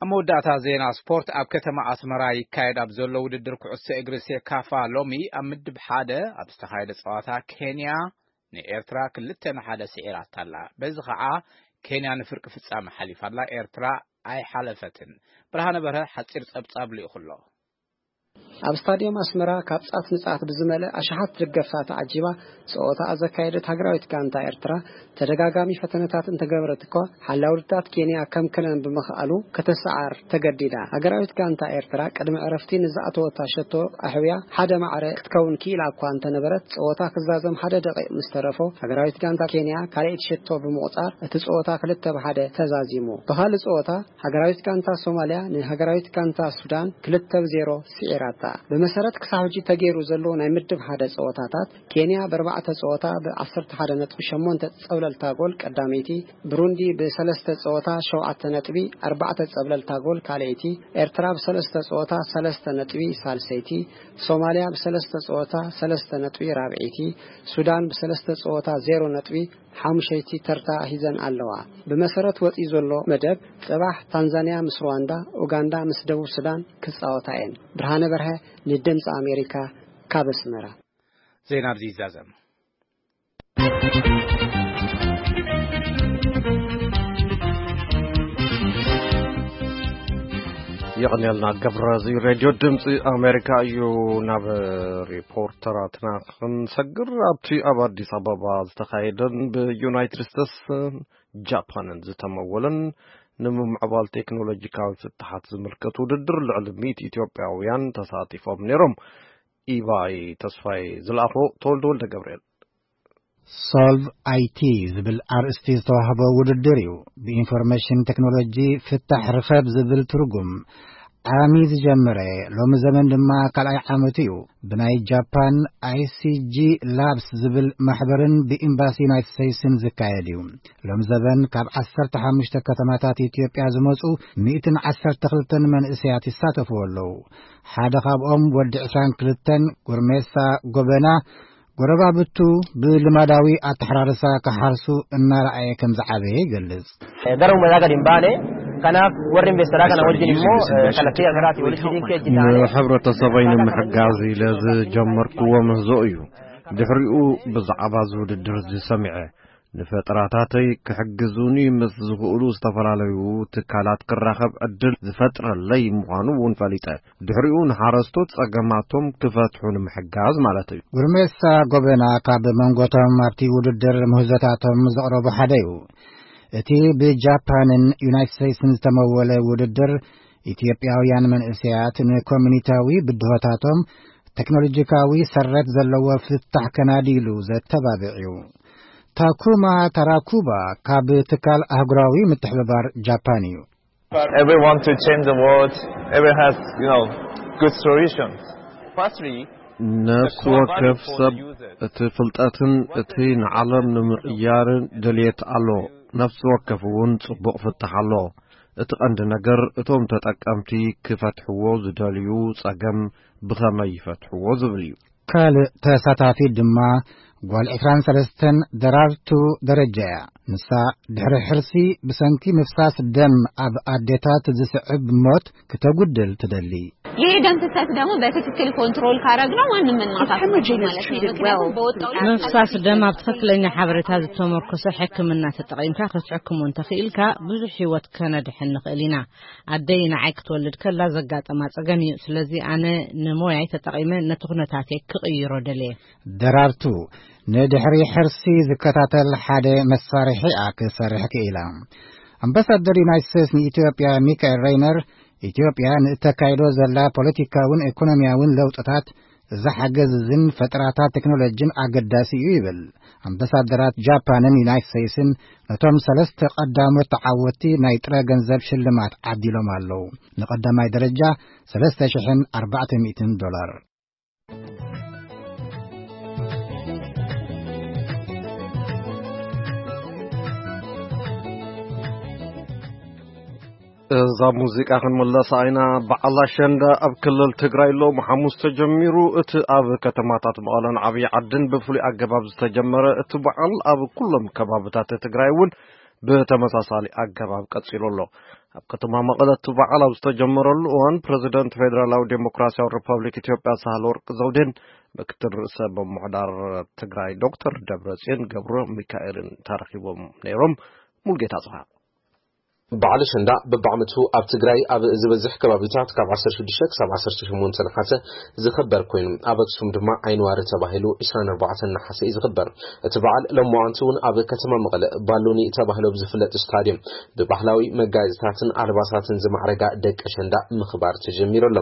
ኣብ መወዳእታ ዜና ስፖርት፣ ኣብ ከተማ ኣስመራ ይካየድ ኣብ ዘሎ ውድድር ኩዕሶ እግሪ ሴካፋ ሎሚ ኣብ ምድብ ሓደ ኣብ ዝተኻየደ ጸዋታ ኬንያ ንኤርትራ ክልተ ንሓደ ስዒራታ ኣላ። በዚ ኸዓ ኬንያ ንፍርቂ ፍጻመ ሓሊፋ ኣላ፣ ኤርትራ ኣይሓለፈትን። ብርሃነ በርሀ ሓጺር ጸብጻብ ልኢኹ ኣሎ። ኣብ ስታድዮም ኣስመራ ካብ ጻት ንጻት ብዝመልእ ኣሽሓት ደገፍታ ተዓጂባ ጸወታኣ ዘካየደት ሃገራዊት ጋንታ ኤርትራ፣ ተደጋጋሚ ፈተነታት እንተገበረት እኳ፣ ሓላው ውድታት ኬንያ ከምክነን ብምኽኣሉ ከተሰዓር ተገዲዳ። ሃገራዊት ጋንታ ኤርትራ ቅድሚ ዕረፍቲ ንዝኣተወታ ሸቶ ኣሕውያ ሓደ ማዕረ ክትከውን ክኢላ እኳ እንተነበረት፣ ጸወታ ክዛዘም ሓደ ደቂቕ ምስ ተረፎ፣ ሃገራዊት ጋንታ ኬንያ ካልኣይቲ ሸቶ ብምቑጻር፣ እቲ ጸወታ ክልተ ብ ሓደ ተዛዚሙ። ብኻልእ ጸወታ፣ ሃገራዊት ጋንታ ሶማልያ ንሃገራዊት ጋንታ ሱዳን ክልተ ብ ዜሮ ስዒራታ። ብመሰረት ክሳብ ሕጂ ተገይሩ ዘሎ ናይ ምድብ ሓደ ጸወታታት፣ ኬንያ ብኣርባዕተ ጸወታ ብ ዓሰርተ ሓደ ነጥቢ ሸሞንተ ጸብለልታ ጎል ቀዳመይቲ፣ ብሩንዲ ብሰለስተ ጸወታ ሸውዓተ ነጥቢ ኣርባዕተ ጸብለልታ ጎል ካልኣይቲ፣ ኤርትራ ብሰለስተ ጸወታ ሰለስተ ነጥቢ ሳልሰይቲ፣ ሶማልያ ብሰለስተ ጸወታ ሰለስተ ነጥቢ ራብዐይቲ፣ ሱዳን ብሰለስተ ጸወታ ዜሮ ነጥቢ ሓሙሸይቲ ተርታ ሒዘን ኣለዋ። ብመሰረት ወጺኡ ዘሎ መደብ፣ ጽባሕ ታንዛንያ ምስ ሩዋንዳ፣ ኡጋንዳ ምስ ደቡብ ሱዳን ክጻወታ እየን። ብርሃነ በርሀ፣ ንድምጺ ኣሜሪካ፣ ካብ ኣስመራ። ዜና ኣብዚ ይዛዘም። የቐንየልና ገብረ፣ እዚ ሬድዮ ድምፂ ኣሜሪካ እዩ። ናብ ሪፖርተራትና ክንሰግር፣ ኣብቲ ኣብ ኣዲስ ኣበባ ዝተኻየደን ብዩናይትድ ስቴትስን ጃፓንን ዝተመወለን ንምምዕባል ቴክኖሎጂካዊ ፍትሓት ዝምልከት ውድድር ልዕሊ ሚእቲ ኢትዮጵያውያን ተሳቲፎም ነይሮም። ኢባይ ተስፋይ ዝለኣኾ፣ ተወልደ ወልደ ገብርኤል። ሶልቭ ኣይቲ ዝብል ኣርእስቲ ዝተዋህቦ ውድድር እዩ። ብኢንፎርሜሽን ቴክኖሎጂ ፍታሕ ርኸብ ዝብል ትርጉም ዓሚ ዝጀመረ፣ ሎሚ ዘመን ድማ ካልኣይ ዓመቱ እዩ። ብናይ ጃፓን ኣይሲጂ ላብስ ዝብል ማሕበርን ብኤምባሲ ዩናይትድ ስቴትስን ዝካየድ እዩ። ሎም ዘበን ካብ ዓሰርተ ሓሙሽተ ከተማታት ኢትዮጵያ ዝመጹ ሚእትን ዓሰርተ ክልተን መንእሰያት ይሳተፍዎ ኣለዉ። ሓደ ካብኦም ወዲ ዕስራን ክልተን ጉርሜሳ ጎበና፣ ጎረባብቱ ብልማዳዊ ኣተሓራርሳ ክሓርሱ እናረኣየ ከም ዝዓበየ ይገልጽ። Gara uummata gadi hin baane. Kanaaf warri investeraa kana wajjin immoo, eh, kallattii garaatiin walitti hidhiin kee hojjetaa. ንሕብረተሰበይ ንምሕጋዝ ኢለ ዝጀመርክዎ ምህዞ እዩ። ድሕሪኡ ብዛዕባ እዚ ውድድር እዚ ሰሚዐ። ንፈጠራታተይ ክሕግዙኒ ምስ ዝኽእሉ ዝተፈላለዩ ትካላት ክራኸብ ዕድል ዝፈጥረለይ ምዃኑ እውን ፈሊጠ። ድሕሪኡ ንሓረስቶት ጸገማቶም ክፈትሑ ንምሕጋዝ ማለት እዩ። ጉርሜሳ ጎበና ካብ መንጎቶም ኣብቲ ውድድር ምህዞታቶም ዘቕረቡ ሓደ እዩ። እቲ ብጃፓንን ዩናይትድ ስቴትስን ዝተመወለ ውድድር፣ ኢትዮጵያውያን መንእሰያት ንኮሚኒታዊ ብድሆታቶም ቴክኖሎጂካዊ ሰረት ዘለዎ ፍታሕ ከናድይሉ ዘተባብዕ እዩ። ታኩማ ታራኩባ ካብ ትካል ኣህጉራዊ ምትሕብባር ጃፓን እዩ። Everyone to change the world, everyone has, you know, good solutions. Firstly, ነፍሲ ወከፍ ሰብ እቲ ፍልጠትን እቲ ንዓለም ንምቕያርን ድልየት ኣሎ። ነፍሲ ወከፍ እውን ጽቡቕ ፍታሕ ኣሎ። እቲ ቀንዲ ነገር እቶም ተጠቀምቲ ክፈትሕዎ ዝደልዩ ጸገም ብኸመይ ይፈትሕዎ ዝብል እዩ። ካልእ ተሳታፊ ድማ ጓል ዕስራን ሰለስተን ደራርቱ ደረጃ እያ። ንሳ ድሕሪ ሕርሲ ብሰንኪ ምፍሳስ ደም ኣብ ኣዴታት ዝስዕብ ሞት ክተጉድል ትደሊ። ይሄ ደም ፍሰት ደግሞ በትክክል ኮንትሮል ካረግነው ማንም ምን ማጣት ማለት ነው። ምክንያቱም በወጣው ላይ ምፍሳስ ደም ኣብ ትኽክለኛ ሓበሬታ ዝተመርኮሰ ሕክምና ተጠቒምካ ክትሕክሞ እንተኽኢልካ ብዙሕ ህይወት ከነድሕን ንኽእል ኢና። ኣደይ ንዓይ ክትወልድ ከላ ዘጋጠማ ጸገም እዩ። ስለዚ ኣነ ንሞያይ ተጠቒመ ነቲ ኩነታተይ ክቕይሮ ደልየ። ደራርቱ ንድሕሪ ሕርሲ ዝከታተል ሓደ መሳርሒኣ ክሰርሕ ክኢላ። ኣምባሳደር ዩናይትድ ስቴትስ ንኢትዮጵያ ሚካኤል ሬይነር፣ ኢትዮጵያ ንእተካይዶ ዘላ ፖለቲካውን ኢኮኖሚያውን ለውጥታት እዚ ሓገዝ እዝን ፈጠራታት ቴክኖሎጂን ኣገዳሲ እዩ ይብል። ኣምባሳደራት ጃፓንን ዩናይትድ ስቴትስን ነቶም ሰለስተ ቀዳሞት ተዓወትቲ ናይ ጥረ ገንዘብ ሽልማት ዓዲሎም ኣለዉ። ንቐዳማይ ደረጃ ሰለስተ ሽሕን ኣርባዕተ ሚእትን ዶላር። እዛ ሙዚቃ ክንምለሳ ኢና። በዓል ኣሸንዳ ኣብ ክልል ትግራይ ሎሚ ሓሙስ ተጀሚሩ። እቲ ኣብ ከተማታት መቐለን ዓብዪ ዓድን ብፍሉይ ኣገባብ ዝተጀመረ እቲ በዓል ኣብ ኩሎም ከባብታት ትግራይ እውን ብተመሳሳሊ ኣገባብ ቀጺሉ ኣሎ። ኣብ ከተማ መቐለ እቲ በዓል ኣብ ዝተጀመረሉ እዋን፣ ፕረዚደንት ፌደራላዊ ዴሞክራሲያዊ ሪፐብሊክ ኢትዮጵያ ሳህለ ወርቅ ዘውዴን ምክትል ርእሰ ምምሕዳር ትግራይ ዶክተር ደብረጽዮን ገብረ ሚካኤልን ተረኺቦም ነይሮም። ሙልጌታ ጽሃ። በዓል ኣሸንዳ በብዓመቱ ኣብ ትግራይ ኣብ ዝበዝሕ ከባቢታት ካብ ዓሰርተ ሽዱሽተ ክሳብ ዓሰርተ ሸሞንተ ነሓሰ ዝኽበር ኮይኑ፣ ኣብ ኣክሱም ድማ ዓይንዋሪ ተባሂሉ ዕስራን ኣርባዕተን ነሓሰ እዩ ዝኽበር። እቲ በዓል ሎማዓንቲ እውን ኣብ ከተማ መቐለ ባሎኒ ተባሂሉ ኣብ ዝፍለጥ ስታድየም ብባህላዊ መጋየፅታትን ኣልባሳትን ዝማዕረጋ ደቂ ኣሸንዳ ምኽባር ተጀሚሩ ኣሎ።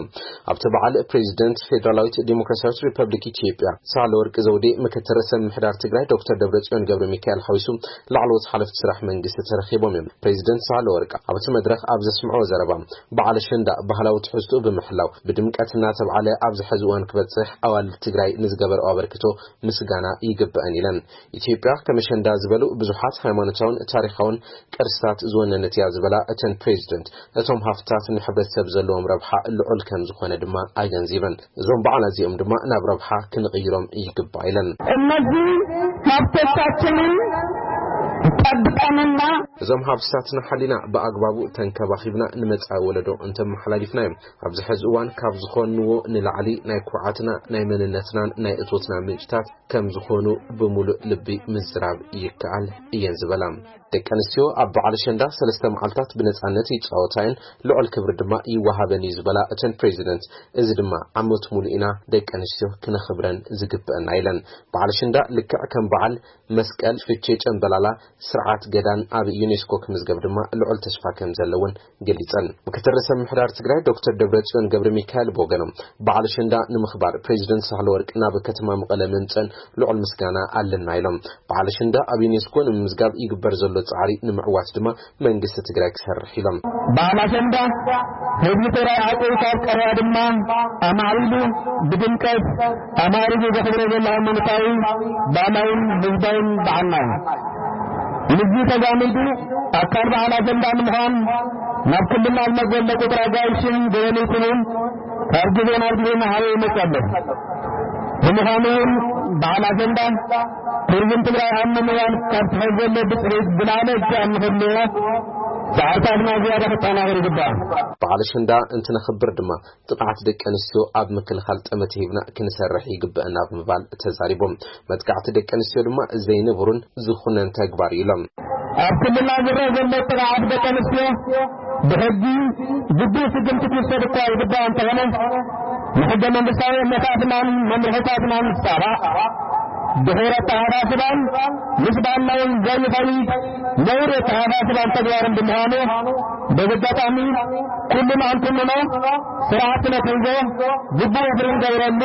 ኣብቲ በዓል ፕሬዚደንት ፌደራላዊት ዴሞክራሲያዊት ሪፐብሊክ ኢትዮጵያ ሳህለ ወርቅ ዘውዴ፣ ምክትል ርእሰ ምምሕዳር ትግራይ ዶክተር ደብረጽዮን ገብረ ሚካኤል ሓዊሱ ላዕለዎት ሓለፍቲ ስራሕ መንግስቲ ተረኺቦም እዮም። ፕሬዚደንት ሳህለ ወርቅ ኣብቲ መድረኽ ኣብ ዘስምዕዎ ዘረባ፣ በዓል ኣሸንዳ ባህላዊ ትሕዝትኡ ብምሕላው ብድምቀት እናተብዓለ ኣብዚ ሕዚ እዋን ክበፅሕ ኣዋልድ ትግራይ ንዝገበርኦ ኣበርክቶ ምስጋና ይግበአን ኢለን። ኢትዮጵያ ከም ኣሸንዳ ዝበሉ ብዙሓት ሃይማኖታውን ታሪኻውን ቅርስታት ዝወነነት እያ ዝበላ እተን ፕሬዚደንት፣ እቶም ሃፍትታት ንሕብረተሰብ ዘለዎም ረብሓ ልዑል ከም ዝኾነ ድማ ኣገንዚበን። እዞም በዓላት እዚኦም ድማ ናብ ረብሓ ክንቕይሮም ይግባእ ኢለን። እነዚህ ሀብቶቻችንን ጠብቀንና እዞም ሃፍትታትና ሓሊና ብኣግባቡ ተንከባኺብና ንመጻኢ ወለዶ እንተመሓላሊፍናዮም፣ ኣብዚ ሕዚ እዋን ካብ ዝኾንዎ ንላዕሊ ናይ ኩርዓትና፣ ናይ መንነትናን ናይ እቶትና ምንጭታት ከም ዝኾኑ ብምሉእ ልቢ ምዝራብ ይከኣል እየን ዝበላ። ደቂ ኣንስትዮ ኣብ በዓል ኣሸንዳ ሰለስተ መዓልታት ብነጻነት ይጻወታ እየን፣ ልዑል ክብሪ ድማ ይወሃበን እዩ ዝበላ እተን ፕሬዚደንት፣ እዚ ድማ ዓመት ሙሉእ ኢና ደቂ ኣንስትዮ ክነኽብረን ዝግበአና ኢለን። በዓል ኣሸንዳ ልክዕ ከም በዓል መስቀል፣ ፍቼ፣ ጨምበላላ፣ ስርዓት ገዳን ኣብ ዩኔስኮ ክምዝገብ ድማ ልዑል ተስፋ ከም ዘለውን ገሊጸን። ምክትል ርእሰ ምምሕዳር ትግራይ ዶክተር ደብረጽዮን ገብረ ሚካኤል ብወገኖም፣ በዓል ኣሸንዳ ንምኽባር ፕሬዚደንት ሳህለ ወርቅ ናብ ከተማ መቐለ ምምጸን ልዑል ምስጋና ኣለና ኢሎም። በዓል ኣሸንዳ ኣብ ዩኔስኮ ንምምዝጋብ ይግበር ዘሎ ጻዕሪ ንምዕዋት ድማ መንግስቲ ትግራይ ክሰርሕ ኢሎም። በዓል ኣሸንዳ ህዝቢ ትግራይ ዓቂቡ ካብ ቀረባ ድማ ኣማዕቢሉ ብድምቀት ኣማዕሪጉ ዘኽብሮ ዘሎ ሃይማኖታዊ፣ ባህላውን ህዝባውን በዓልና እዩ። ምስዚ ተዛሚዱ ኣካል በዓል ኣሸንዳ ንምዃን ናብ ክልልና ዝመጽእ ዘሎ ቁጽሪ ኣጋይሽን ገበን ይኹን ካብ ግዜ ናብ ግዜ እናዓበየ ይመጽእ ኣሎ። ብምዃኑ እውን በዓል ኣሸንዳ ቱሪዝም ትግራይ ኣብ ምምዕባል ካብ ትሕዝ ዘሎ ብፅሒት ዝለዓለ እጃም ንክህልዎ ፃዕርታትና ዝያዳ ክጠናኸር ይግባእ። በዓል ኣሸንዳ እንትነኽብር ድማ ጥቕዓት ደቂ ኣንስትዮ ኣብ ምክልኻል ጠመተ ሂብና ክንሰርሕ ይግበአና ብምባል ተዛሪቦም። መጥቃዕቲ ደቂ ኣንስትዮ ድማ ዘይንቡርን ዝኹነን ተግባር እዩ ኢሎም። ኣብ ክልልና ዝረአ ዘሎ ጥቕዓት ደቂ ኣንስትዮ ብሕጊ ግቡእ ስጉምቲ ክውሰድ እኳ ይግባእ እንተኾነ፣ ንሕገ መንግስታዊ እምነታትናን መምርሕታትናን ዝጻባእ፣ ድሑር ኣተሓሳስባን ምስ ባህልና እውን ዘይኸይድ ነውሪ ኣተሓሳስባን ተግባርን ብምዃኑ፣ በዚ ኣጋጣሚ ኩልና እንትንኖ ስርዓት ነትሕዞ፣ ግቡእ ወፍሪ ንገብረሉ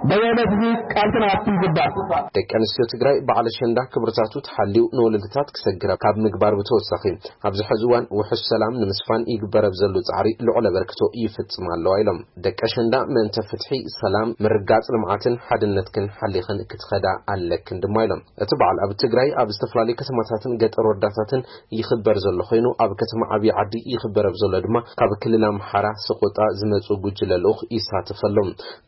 በየነት እዚ ቃልሲ ንኣቱ ይግባእ። ደቂ ኣንስትዮ ትግራይ በዓል ኣሸንዳ ክብርታቱ ተሓልዩ ንወለዶታት ክሰግር ካብ ምግባር ብተወሳኺ፣ ኣብዚ ሕዚ እዋን ውሑስ ሰላም ንምስፋን ይግበር ኣብ ዘሎ ጻዕሪ ልዑል ኣበርክቶ ይፍጽም ኣለዋ ኢሎም። ደቂ ኣሸንዳ ምእንተ ፍትሒ፣ ሰላም፣ ምርግጋጽ ልምዓትን ሓድነትክን ሓሊኽን ክትኸዳ ኣለክን ድማ ኢሎም። እቲ በዓል ኣብ ትግራይ ኣብ ዝተፈላለዩ ከተማታትን ገጠር ወረዳታትን ይኽበር ዘሎ ኮይኑ፣ ኣብ ከተማ ዓብዪ ዓዲ ይኽበር ኣብ ዘሎ ድማ ካብ ክልል ኣምሓራ ሰቆጣ ዝመጹ ጉጅለ ልኡኽ ይሳተፍ ኣሎ።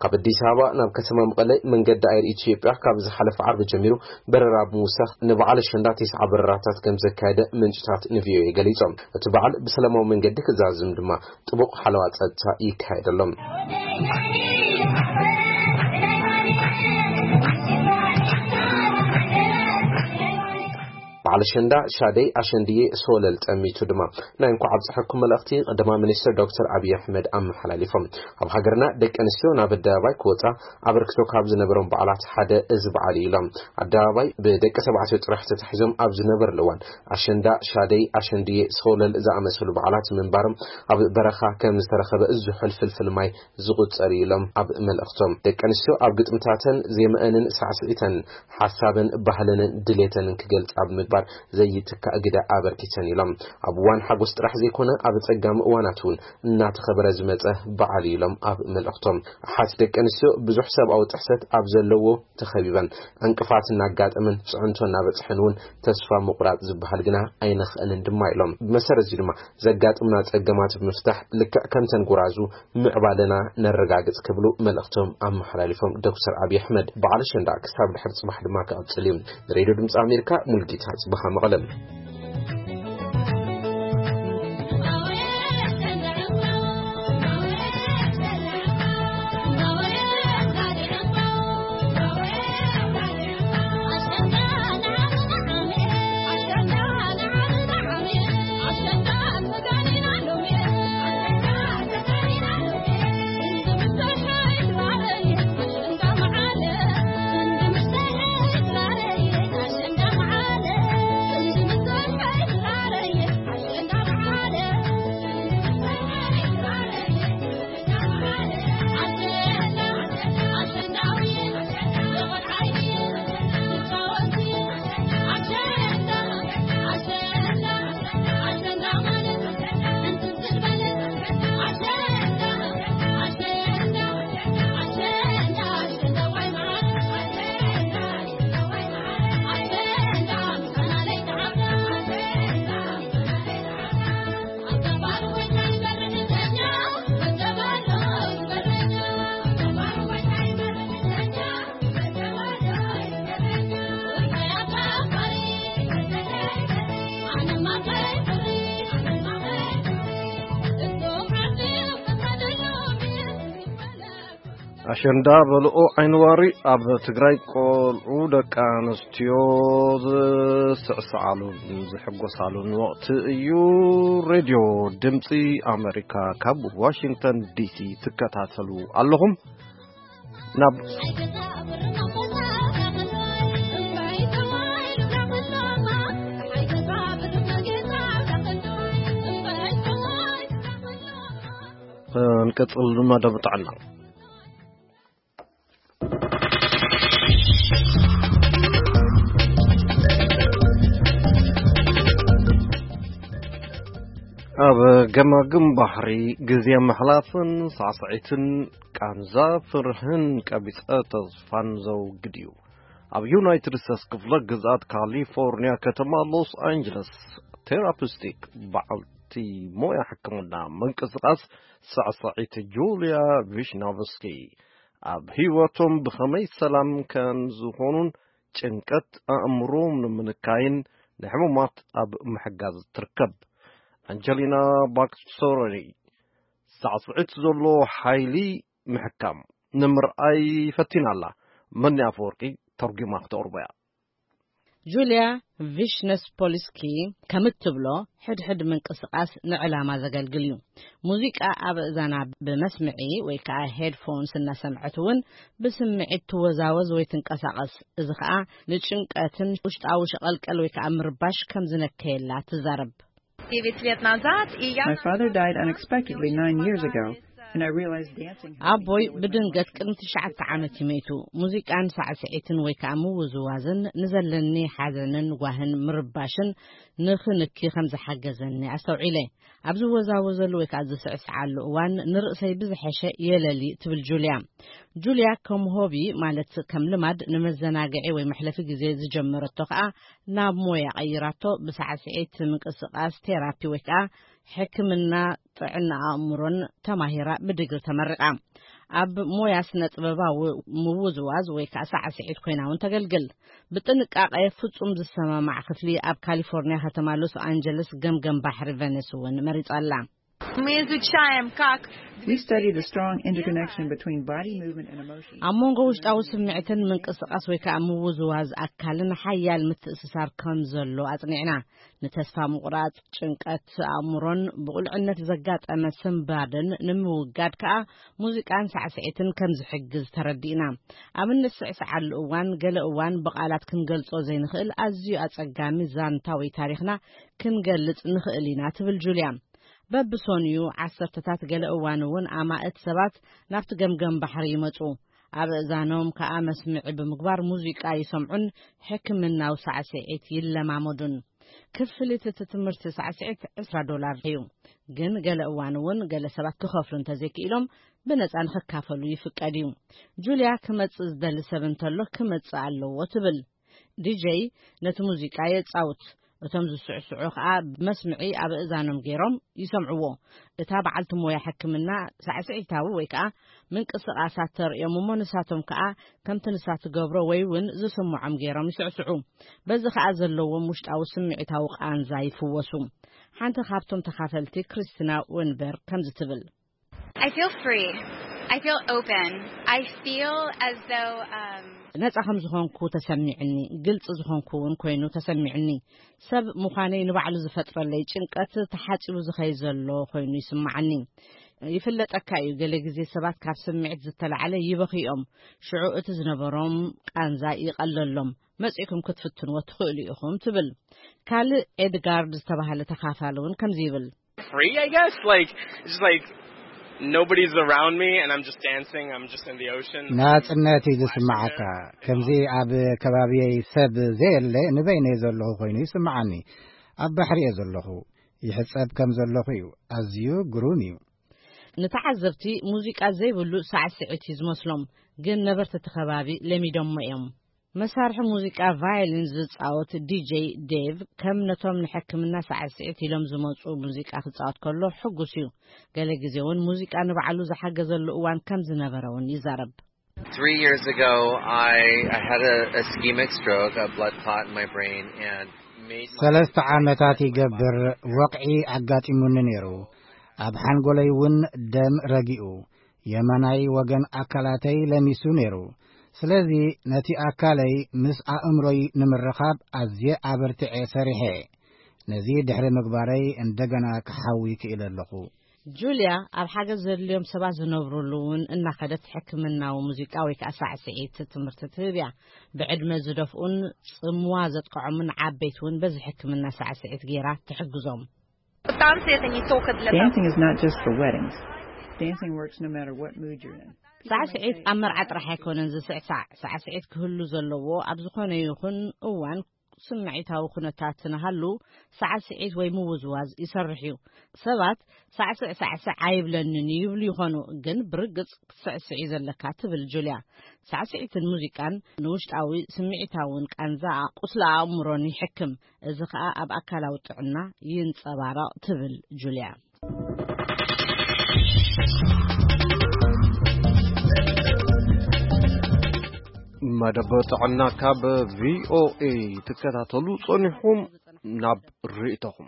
ካብ ኣዲስ ኣበባ ናብ ከተማ መቐለ መንገዲ ኣየር ኢትዮጵያ ካብ ዝሓለፈ ዓርቢ ጀሚሩ በረራ ብምውሳኽ ንበዓል ኣሸንዳ ተስዓ በረራታት ከም ዘካየደ ምንጭታት ንቪኦኤ ገሊጾም። እቲ በዓል ብሰላማዊ መንገዲ ክዛዝም ድማ ጥቡቕ ሓለዋ ጸጥታ ይካየደሎም። በዓል ኣሸንዳ ሻደይ ኣሸንድዬ ሶለል ጠሚቱ ድማ ናይ እንኳዕ ኣብፀሐኩም መልእኽቲ ቀዳማይ ሚኒስትር ዶክተር ኣብይ ኣሕመድ ኣመሓላሊፎም። ኣብ ሃገርና ደቂ ኣንስትዮ ናብ ኣደባባይ ክወፃ ኣበርክቶ ካብ ዝነበሮም በዓላት ሓደ እዚ በዓል እዩ ኢሎም። ኣደባባይ ብደቂ ተባዕትዮ ጥራሕ ተታሒዞም ኣብ ዝነበርሉ እዋን ኣሸንዳ፣ ሻደይ፣ ኣሸንድዬ፣ ሶለል ዝኣመሰሉ በዓላት ምንባሮም ኣብ በረኻ ከም ዝተረኸበ ዝሑል ፍልፍል ማይ ዝቑጸር እዩ ኢሎም ኣብ መልእኽቶም። ደቂ ኣንስትዮ ኣብ ግጥምታተን ዜማኣንን ሳዕስዒተን ሓሳበን ባህለንን ድሌተንን ክገልጻ ኣብ ምግባር ዘይትካእ ግደ ኣበርኪተን ኢሎም። ኣብ እዋን ሓጎስ ጥራሕ ዘይኮነ ኣብ ጸጋም እዋናት እውን እናተኸበረ ዝመጸ በዓል እዩ ኢሎም ኣብ መልእኽቶም። ኣሓት ደቂ ኣንስትዮ ብዙሕ ሰብኣዊ ጥሕሰት ኣብ ዘለዎ ተኸቢበን፣ ዕንቅፋት እናጋጠመን ጽዕንቶ እናበጽሐን እውን ተስፋ ምቑራጽ ዝበሃል ግና ኣይነኽእልን ድማ ኢሎም። ብመሰረት እዚ ድማ ዘጋጥሙና ጸገማት ብምፍታሕ ልክዕ ከምተን ጎራዙ ምዕባለና ነረጋግጽ ክብሉ መልእኽቶም ኣመሓላሊፎም። ዶክተር ኣብይ ኣሕመድ በዓል ኣሸንዳ ክሳብ ድሕሪ ጽባሕ ድማ ክቕጽል እዩ። ንሬድዮ ድምጺ ኣሜሪካ ሙልጌታ ጽባኻ መቐለም። ኣሸንዳ በልኦ ዓይንዋሪ ኣብ ትግራይ ቆልዑ ደቂ ኣንስትዮ ዝስዕስዓሉን ዝሕጎሳሉን ወቕቲ እዩ። ሬድዮ ድምፂ ኣሜሪካ ካብ ዋሽንግተን ዲሲ ትከታተሉ ኣለኹም። ናብ እንቀጽል መደብ ጥዕና። ኣብ ገማግም ባሕሪ ግዜ ምሕላፍን ሳዕስዒትን ቃንዛ ፍርህን ቀቢጸ ተስፋን ዘውግድ እዩ። ኣብ ዩናይትድ ስቴትስ ክፍለ ግዝኣት ካሊፎርኒያ ከተማ ሎስ ኣንጀለስ ቴራፒስቲክ በዓልቲ ሞያ ሕክምና ምንቅስቓስ ሳዕስዒት ጁልያ ቪሽናቭስኪ ኣብ ህይወቶም ብኸመይ ሰላም ከም ዝኾኑን ጭንቀት ኣእምሮ ንምንካይን ንሕሙማት ኣብ ምሕጋዝ ትርከብ። ኣንጀሊና ባክሶሪ ሳዕስዒት ዘሎ ሓይሊ ምሕካም ንምርኣይ ፈቲና ኣላ። መኒ ኣፈወርቂ ተርጒማ ክተቕርቦ እያ። ጁልያ ቪሽነስፖልስኪ ከም እትብሎ፣ ሕድሕድ ምንቅስቓስ ንዕላማ ዘገልግል እዩ። ሙዚቃ ኣብ እዛና ብመስምዒ ወይ ከዓ ሄድፎንስ እናሰምዐት እውን ብስምዒት ትወዛወዝ ወይ ትንቀሳቐስ። እዚ ከዓ ንጭንቀትን ውሽጣዊ ሸቐልቀል ወይ ከዓ ምርባሽ ከም ዝነከየላ ትዛረብ። Девять лет назад, и я... My father died unexpectedly nine years ago, and I realized dancing had ኣቦይ to do with my ብድንገት emotions. ቅድሚ ትሽዓተ ዓመት እዩ መይቱ። ሙዚቃን ሳዕስዒትን ወይ ከዓ ምውዝዋዝን ንዘለኒ ሓዘንን ጓህን ምርባሽን ንኽንኪ ከም ዝሓገዘኒ ኣስተውዒለ። ኣብ ዝወዛወዘሉ ወይ ከዓ ዝስዕስዓሉ እዋን ንርእሰይ ብዝሐሸ የለሊ ትብል ጁልያ። ጁልያ ከም ሆቢ ማለት ከም ልማድ ንመዘናግዒ ወይ መሕለፊ ግዜ ዝጀመረቶ ከዓ ናብ ሞያ ቀይራቶ። ብሳዕስዒት ምንቅስቓስ ቴራፒ ወይ ከዓ ሕክምና ጥዕና ኣእምሮን ተማሂራ ብድግሪ ተመሪቓ። ኣብ ሞያ ስነ ጥበባዊ ምውዝዋዝ ወይ ከዓ ሳዕስዒት ኮይና እውን ተገልግል። ብጥንቃቄ ፍጹም ዝሰማማዕ ክፍሊ ኣብ ካሊፎርኒያ ከተማ ሎስ ኣንጀለስ ገምገም ባሕሪ ቨነስ እውን መሪጻ ኣላ። Мы изучаем, как We study the strong interconnection between body movement and emotion. ኣብ መንጎ ውሽጣዊ ስምዕትን ምንቅስቓስ ወይ ከዓ ምውዝዋዝ ኣካልን ሓያል ምትእስሳር ከም ዘሎ ኣጽኒዕና። ንተስፋ ምቑራጽ፣ ጭንቀት ኣእምሮን ብቑልዕነት ዘጋጠመ ስንባደን ንምውጋድ ከዓ ሙዚቃን ሳዕስዒትን ከም ዝሕግዝ ተረዲእና። ኣብ እንስዕስዓሉ እዋን ገለ እዋን ብቓላት ክንገልጾ ዘይንኽእል ኣዝዩ ኣጸጋሚ ዛንታ ወይ ታሪኽና ክንገልጽ ንኽእል ኢና ትብል ጁልያ። በብሶንዩ ዓሰርተታት ገለ እዋን እውን ኣማእት ሰባት ናብቲ ገምገም ባሕሪ ይመጹ። ኣብ እእዛኖም ከኣ መስምዒ ብምግባር ሙዚቃ ይሰምዑን ሕክምናዊ ሳዕስዒት ይለማመዱን። ክፍሊት እቲ ትምህርቲ ሳዕስዒት ዕስራ ዶላር እዩ። ግን ገለ እዋን እውን ገለ ሰባት ክኸፍሉ እንተዘይክኢሎም ብነጻ ንኽካፈሉ ይፍቀድ እዩ። ጁልያ ክመጽእ ዝደሊ ሰብ እንተሎ ክመጽእ ኣለዎ ትብል። ዲጀይ ነቲ ሙዚቃ የጻውት። እቶም ዝስዕስዑ ከኣ ብመስምዒ ኣብ እእዛኖም ገይሮም ይሰምዕዎ። እታ በዓልቲ ሞያ ሕክምና ሳዕስዒታዊ ወይ ከኣ ምንቅስቓሳት ተርእዮም እሞ ንሳቶም ከኣ ከምቲ ንሳ ትገብሮ ወይ እውን ዝስምዖም ገይሮም ይስዕስዑ። በዚ ከኣ ዘለዎም ውሽጣዊ ስምዒታዊ ቃንዛ ይፍወሱ። ሓንቲ ካብቶም ተኻፈልቲ ክሪስቲና ወንበርግ ከምዚ ትብል። I feel free. I feel open. I feel as though um, ነጻ ከም ዝኾንኩ ተሰሚዕኒ፣ ግልጺ ዝኾንኩ እውን ኮይኑ ተሰሚዕኒ። ሰብ ምዃነይ ንባዕሉ ዝፈጥረለይ ጭንቀት ተሓጺቡ ዝኸይ ዘሎ ኮይኑ ይስምዓኒ። ይፍለጠካ እዩ፣ ገለ ግዜ ሰባት ካብ ስምዒት ዝተላዕለ ይበኽዮም። ሽዑ እቲ ዝነበሮም ቃንዛ ይቐለሎም። መጺእኩም ክትፍትንዎ ትኽእሉ ኢኹም ትብል። ካልእ ኤድጋርድ ዝተባህለ ተኻፋሊ እውን ከምዚ ይብል። Free, I guess. Like, it's just like nobody's around me and I'm just dancing. I'm just in the ocean. ናጽነት እዩ ዝስምዓካ። ከምዚ ኣብ ከባቢየይ ሰብ ዘየለ ንበይነይ ዘለኹ ኮይኑ ይስምዓኒ። ኣብ ባሕሪ እየ ዘለኹ። ይሕጸብ ከም ዘለኹ እዩ። ኣዝዩ ግሩም እዩ። ንተዓዘብቲ ሙዚቃ ዘይብሉ ሳዕስዒት እዩ ዝመስሎም፣ ግን ነበርቲ እቲ ከባቢ ለሚዶሞ እዮም። መሳርሒ ሙዚቃ ቫዮሊን ዝጻወት ዲጀይ ዴቭ ከም ነቶም ንሕክምና ሳዕስዒት ኢሎም ዝመጹ ሙዚቃ ክጻወት ከሎ ሕጉስ እዩ። ገለ ግዜ እውን ሙዚቃ ንባዕሉ ዝሓገዘሉ እዋን ከም ዝነበረ እውን ይዛረብ። Three years ago, I, I had a ischemic stroke, a blood clot in my brain, and made my ሰለስተ ዓመታት ይገብር ወቕዒ ኣጋጢሙኒ ነይሩ። ኣብ ሓንጎለይ እውን ደም ረጊኡ። የማናይ ወገን ኣካላተይ ለሚሱ ነይሩ። ስለዚ ነቲ ኣካለይ ምስ ኣእምሮይ ንምርኻብ ኣዝየ ኣበርቲዐ ሰሪሐ። ነዚ ድሕሪ ምግባረይ እንደገና ክሓዊ ክኢለ ኣለኹ። ጁልያ ኣብ ሓገዝ ዘድልዮም ሰባት ዝነብሩሉ እውን እናኸደት ሕክምናዊ ሙዚቃ ወይ ከዓ ሳዕስዒት ትምህርቲ ትህብ እያ። ብዕድመ ዝደፍኡን ጽምዋ ዘጥቅዖምን ዓበይቲ እውን በዚ ሕክምና ሳዕስዒት ገይራ ትሕግዞም። Dancing is not just for weddings. Dancing works no matter what mood you're in. ሳዕስዒት ኣብ መርዓ ጥራሕ ኣይኮነን ዝስዕሳዕ። ሳዕስዒት ክህሉ ዘለዎ ኣብ ዝኾነ ይኹን እዋን ስምዒታዊ ኩነታት ንሃሉ ሳዕስዒት ወይ ምውዝዋዝ ይሰርሕ እዩ። ሰባት ሳዕስዕ ሳዕስዕ ኣይብለንን ይብሉ ይኾኑ፣ ግን ብርግጽ ክትስዕስዕ እዩ ዘለካ ትብል ጁልያ። ሳዕስዒትን ሙዚቃን ንውሽጣዊ ስምዒታውን ቃንዛ ቁስሊ ኣእምሮን ይሕክም። እዚ ኸኣ ኣብ ኣካላዊ ጥዕና ይንጸባረቕ ትብል ጁልያ። መደብ ጥዕና ካብ ቪኦኤ ትከታተሉ ጸኒሕኩም ናብ ርእይቶኹም።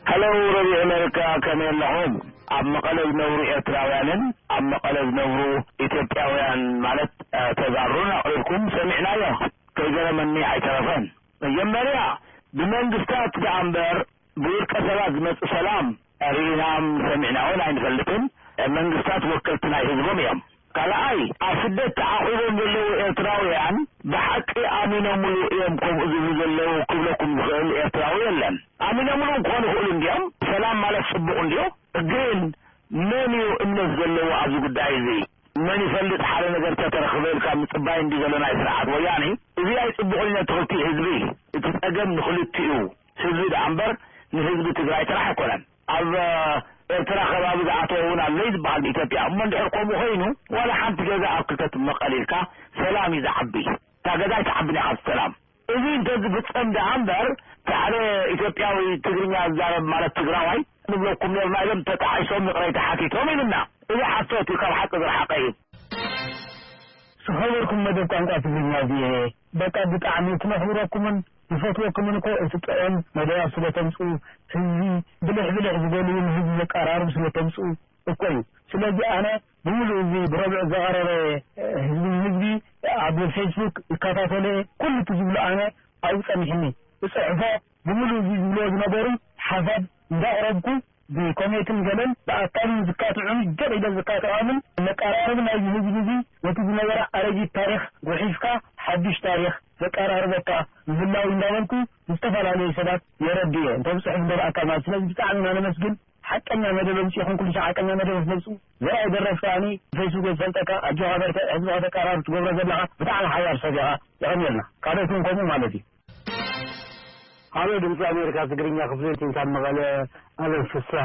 ሄሎ ረድዮ ኣሜሪካ፣ ከመይ ኣለኹም? ኣብ መቐለ ዝነብሩ ኤርትራውያንን ኣብ መቐለ ዝነብሩ ኢትዮጵያውያን ማለት ተጋሩን ኣቕሪብኩም ሰሚዕናዮ። ከይገረመኒ ኣይተረፈን። መጀመርያ ብመንግስታት ደኣ እምበር ብውልቀ ሰባት ዝመጽእ ሰላም ርኢናን ሰሚዕናን ኣይንፈልጥን። መንግስታት ወከልቲ ናይ ህዝቦም እዮም። ካልኣይ ኣብ ስደት ተዓቑቦም ዘለዉ ኤርትራውያን ብሓቂ ኣሚኖምሉ እዮም ከምኡ ዝብሉ ዘለዉ ክብለኩም ዝኽእል ኤርትራዊ የለን። ኣሚኖምሉ ክኾኑ ይኽእሉ እንድዮም። ሰላም ማለት ጽቡቕ እንድዮ። ግን መን እዩ እምነት ዘለዎ ኣብዚ ጉዳይ እዚ? መን ይፈልጥ ሓደ ነገር ተተረኽበ ኢልካ ምጽባይ እንዲ ዘሎ ናይ ስርዓት ወያኔ። እዚ ኣይጽቡቕን እዩ ነቲ ክልቲኡ ህዝቢ። እቲ ጸገም ንኽልቲኡ ህዝቢ ደኣ እምበር ንህዝቢ ትግራይ ጥራሕ ኣይኮነን። ኣብ ኤርትራ ከባቢ ዝኣተወ እውን ኣሎ እዩ ዝበሃል ብኢትዮጵያ። እሞ እንድሕር ከምኡ ኮይኑ ዋላ ሓንቲ ገዛ ኣብ ክልተ ትመቐል ኢልካ ሰላም እዩ ዝዓቢ። እታ ገዛ ኣይትዓብን እያ ካብቲ ሰላም። እዚ እንተዝፍጸም ደኣ እምበር እቲ ሓደ ኢትዮጵያዊ ትግርኛ ዝዛረብ ማለት ትግራዋይ ንብለኩም ነርና ኢሎም ተጣዒሶም ይቕረይታ ሓቲቶም ኢሉና። እዚ ሓሶት እዩ፣ ካብ ሓቂ ዝረሓቐ እዩ። ዝኸበርኩም መደብ ቋንቋ ትግርኛ ቪኦኤ በቃ ብጣዕሚ እቲ ነኽብረኩምን ንፈትወኩምን እኮ እቲ ጥዑም መደባት ስለ ተምፅኡ ህዝቢ ብልሕ ብልሕ ዝበሉ ንህዝቢ ዘቀራርቡ ስለ ተምፅኡ እኮ እዩ። ስለዚ ኣነ ብምሉእ እዚ ብረብዕ ዘቐረበ ህዝቢ ንህዝቢ ኣብ ፌስቡክ ይከታተለ ኩሉ እቲ ዝብሎ ኣነ ኣብኡ ፀኒሕኒ እፅሕፎ ብምሉእ እዚ ዝብልዎ ዝነበሩ ሓሳብ እንዳቕረብኩ ብኮሜትን ገለን ብኣካልን ዝካትዑን ገጥ ኢለ ዝካትዖምን መቀራረቢ ናይዚ ህዝቢ እዚ ነቲ ዝነበረ ኣረጊት ታሪኽ ጉሒፍካ ሓዱሽ ታሪኽ ዘቀራርበካ ምህላው እንዳበልኩ ንዝተፈላለዩ ሰባት የረድእ እየ። እንተ ብፅሑፍ እንተ ብኣካል ማለት ስለዚ ብጣዕሚ ኢና ነመስግን። ሓቀኛ መደብ ኣምፂእኹም ኩሉ ሰብ ሓቀኛ መደብ ክመፁ ዘርኣይ ደረፍ ከዓኒ ፌስቡክ ዝፈልጠካ ኣጆኻ በርትዕ ህዝብኻ ተቀራርብ ትገብሮ ዘለኻ ብጣዕሚ ሓያል ሰብ ኢኻ። የቐንየልና ካልኦት እውን ከምኡ ማለት እዩ። ሃሎ ድምፂ ኣሜሪካ ትግርኛ ክፍሊ ካብ መቐለ ኣለም ፍስሃ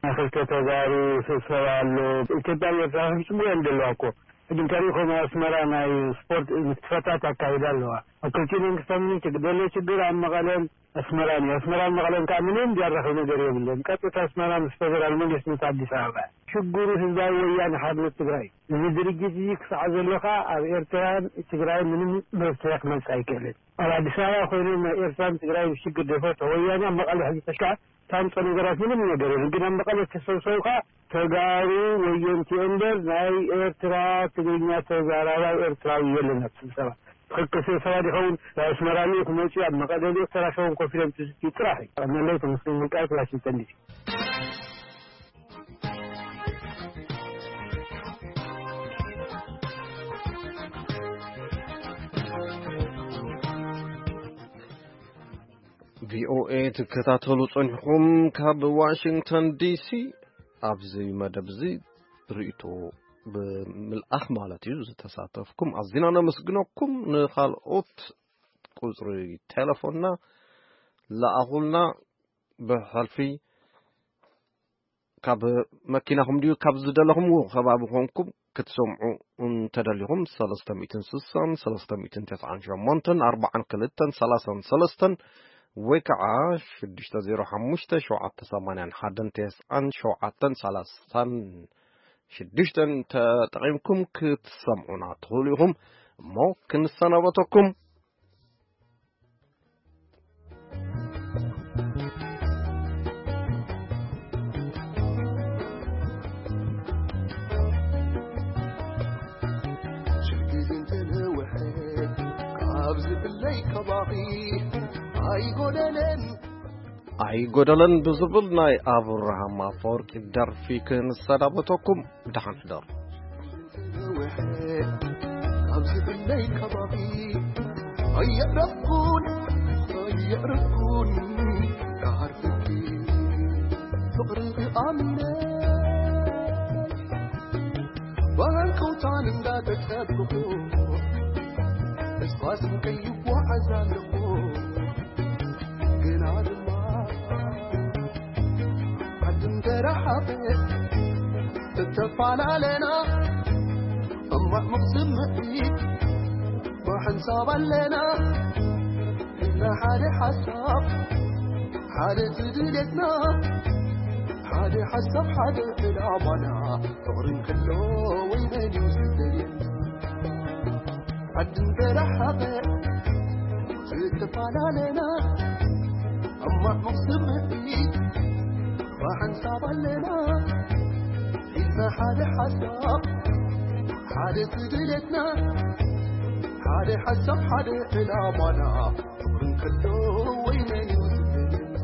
ናይ ክልተ ተጋሩ ስብሰባ ኣሎ። ኢትዮጵያ ኤርትራ ፍጹም እዮም ዘለዋ እኮ ሕጂ እንተሪእኹም ኣስመራ ናይ ስፖርት ምትፈታት ኣካይዳ ኣለዋ። ኣብ ክልቲኡ መንግስታት ምንም ችግር ዘሎ ችግር ኣብ መቐለን ኣስመራን እዩ። ኣስመራን መቐለን ከዓ ምንም ዚያራኸብ ነገር የብለን። ቀጥታ ኣስመራ ምስ ፌደራል መንግስቲ ምስ ኣዲስ ኣበባ ሽግሩ ህዝባዊ ወያነ ሓርነት ትግራይ እዚ ድርጅት እዚ ክሳዕ ዘሎ ከዓ ኣብ ኤርትራን ትግራይ ምንም መፍትሒ ክመፅእ ኣይክእልን። ኣብ ኣዲስ ኣበባ ኮይኖም ናይ ኤርትራን ትግራይን ሽግር ዘይፈትሑ ወያነ ኣብ መቐለ ሕዚ ተሽካ ታምፆ ነገራት ምንም ነገር የለን። ግን ኣብ መቐለ ተሰብሰቡ ከዓ ተጋሩ ወየንቲ እምበር ናይ ኤርትራ ትግርኛ ተዛራባይ ኤርትራዊ የለን ኣብ ስብሰባ። ትኽክል ስብሰባ ዲኸውን ናይ ኣስመራ ልኡክ መፅኡ ኣብ መቐለ ልኡክ ተራኸቡን ኮፍ ኢሎም ትዝትዩ ጥራሕ እዩ። ቀነለይ ተመስገን ውልቃይ ዋሽንግተን ዲሲ። ቪኦኤ ትከታተሉ ጸኒሕኩም ካብ ዋሽንግተን ዲሲ። ኣብዚ መደብ እዚ ርእይቶ ብምልኣኽ ማለት እዩ ዝተሳተፍኩም ኣዚና ነመስግነኩም። ንኻልኦት ቁጽሪ ቴሌፎንና ለኣኹልና። ብሕልፊ ካብ መኪናኹም ድዩ ካብ ዝደለኹምዎ ከባቢ ኮንኩም ክትሰምዑ እንተደሊኹም ሰለስተ ሚእትን ስሳን ሰለስተ ሚእትን ተስዓን ሸሞንተን ኣርባዓን ክልተን ሰላሳን ሰለስተን ወይ ከዓ ሽዱሽተ ዜሮ ሓሙሽተ ሸውዓተ ሰማንያን ሓደን ተስዓን ሸውዓተን ሰላሳን ሽዱሽተን ተጠቒምኩም ክትሰምዑና ትኽእሉ ኢኹም። እሞ ክንሰናበተኩም። እለይ ከባኺ ኣይጎደለን ኣይጎደለን ብዝብል ናይ ኣብርሃም ኣፈወርቂ ደርፊ ክንሰናበተኩም። ደሓን ሕደሩ። ኣብዚ እለይ ከባኺ ኣየዕረፍኩን ኣየዕረፍኩን ካሃርፍኪ ፍቕሪ ኣሚነ ባንከውታን እንዳተጸብኹ እስፋስን ከይጓዓዝ ኣለኹ ግና ድማ ዓድም ተረሓቐ እተፈላለና እማዕሙቕ ስምዒት ብሓንሳብ ኣለና ኢልና ሓደ ሓሳብ ሓደ ትድልየትና ሓደ ሓሳብ ሓደ ዕላማና ፍቕርን ከሎ ወይ መን እዩ ዝደልየና ዓድም ተረሓቐ ዝተፈላለና እማዕሙቕ ስምዒት ብሓንሳብ ኣለና ሒዝና ሓደ ሓሳብ ሓደ ትድልየትና ሓደ ሓሳብ ሓደ ዕላማና ፍቕርን ከሎ ወይ መን እዩ ዝደልየና